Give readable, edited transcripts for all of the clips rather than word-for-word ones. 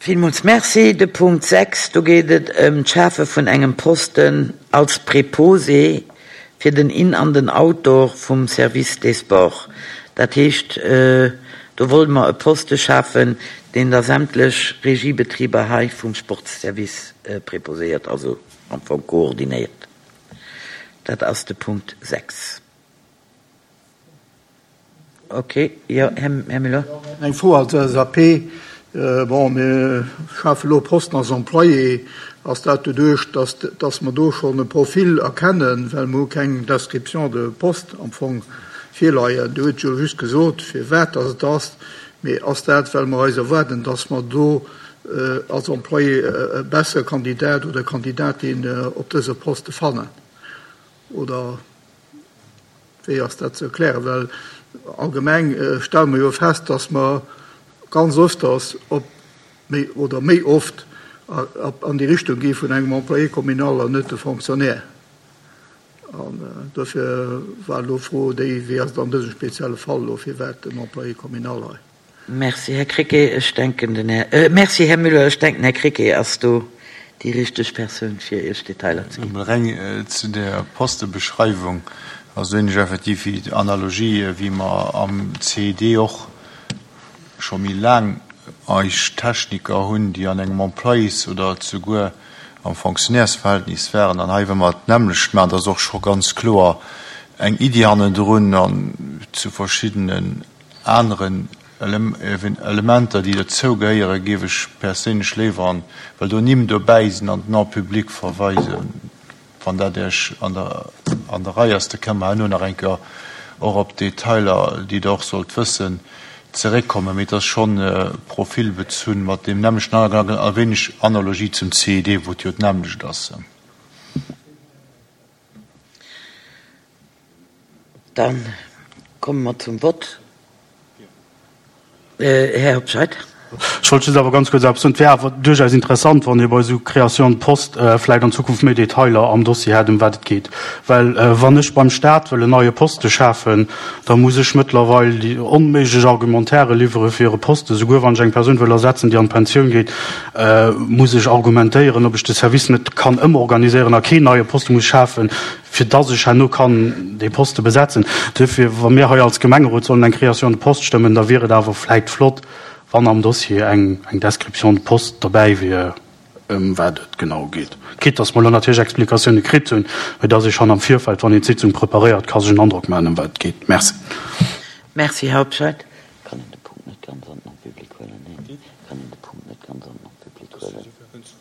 Villmools Merci. De Punkt 6, do geet et ëm d'Schafe vun engem Posten als Préposé fir den In an den Outdoor vum Service des Sports. Dat heescht, do wollte mer e Poste schafen, deen da sämtlech Regiebetriber hei vum Sportsservice préposéiert, also am Fong koordinéiert. Dat ass de Punkt 6. Ok, jo, Här Müller. Eng Fro als LSAP. Bon, mir schafe elo Posten als Employé. Ass dat doduerch, dass, dass mer do schonn e Profil erkennen, well mer hu keng Description de poste am Fong virleien. Dir hutt jo just gesot, firwat dass et ass. Mee ass dat, well mer eis erwaarden, dass mer do als Employé e bessere Kandidat oder Kandidatin op dëse Poste fannen, oder? Wéi ass dat ze erklären? Well allgemeng stelle mer jo fest, dass mer ganz öfters op méi oder méi oft an déi Richtung gi vun engem Employé communal an net de Fonctionnaire. An dofir war elo d'Fro déi, Wéi ass et an dësem spezielle Fall elo, firwat den Employé communal hei? Merci, Här Krecké. Ech denken, den Här, merci, Här Müller. Ech denken, Här Krecké ass do déi richteg Persoun, fir Iech Detailer ze ginn. Emol reng zu der Postebeschreiwung. Also hunn ech effektiv déi Analogie, wéi mer am CED och scho méi laang eis Techniker hunn, déi an engem Employés oder souguer am Fonctionnairesverhältnis waren. An hei wëlle mer d'nämmlecht maachen. Dat ass och scho ganz kloer eng Iddi hannendrun an zu verschiddenen Aneren Elementer, déi dozou gehéieren, géif ech perséinlech léiwer an, well do Nimm dobäi sinn, an den En public verweisen. Wann dat Iech an der an der Rei ass, da kënne mer herno nach eng Kéier och op d'Detailer, déi Der och sollt wëssen, zeréckkommen. Mee et ass schonn profilbezunn mat deem nämmlechten Hannergedanken a wéineg Analogie zum CID, wou et jo d'nämmlecht ass. Da komme mer zum Vott. Här Hobscheit. Ech wollt just awer ganz kuerz eppes soen. Et wär awer duerchaus interessant, wann ee bei esou Créations de postes vläicht an Zukunft méi Detailer am Dossier hätt, ëm wat et geet. Well wann ech beim Stat wëll en neie Poste schafen, da muss ech mëttlerweil déi onméiglech Argumentaire liwwere fir e Poste. Souguer wann ech eng Persoun wëll ersetzen, déi an d'Pensioun geet, muss ech argumentéieren, ob ech de Service net kann ëmorganiséieren a keen neie Poste muss schafen, fir dass ech herno kann dee Poste besetzen. Duerfir, wa mir hei als Gemengerot sollen eng Création de poste stëmmen, da wier et awer vläicht flott, wann am Dossier eng eng Description de poste derbäi wier, ëm wat et genau geet. Quitte dass mer elo natierlech Explikatioune kritt hunn, mä dass ee schonn am Virfeld, wann een d'Sitzung preparéiert, ka sech en Androck maachen, ëm wat et geet. Merci. Merci, Här Hobscheit. Kann een de Punkt net ganz an den Public huelen? Neen, kann een de Punkt net ganz an den Public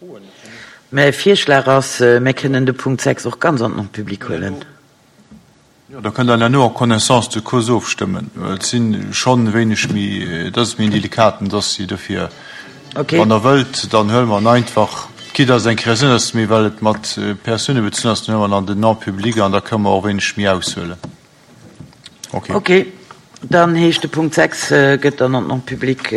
huelen. Mäi Virschlag ass, mir kënnen de Punkt 6 och ganz an den Public huelen. Jo, da kënnt Der herno en connaissance de cause ofstëmmen. Et si schonn e wéineg méi, dat ass méi en delikaten Dossier. Dofir, wann Der wëllt, dann huele mer en einfach, quitte dass et eng Créatioun ass, mee well et mat Persoune bezunn ass, dann huele mer en an den Non-public an da kënne mer och e wéineg méi aushuelen. Ok. Ok, dann heescht de Punkt 6 gëtt dann an den Non-public.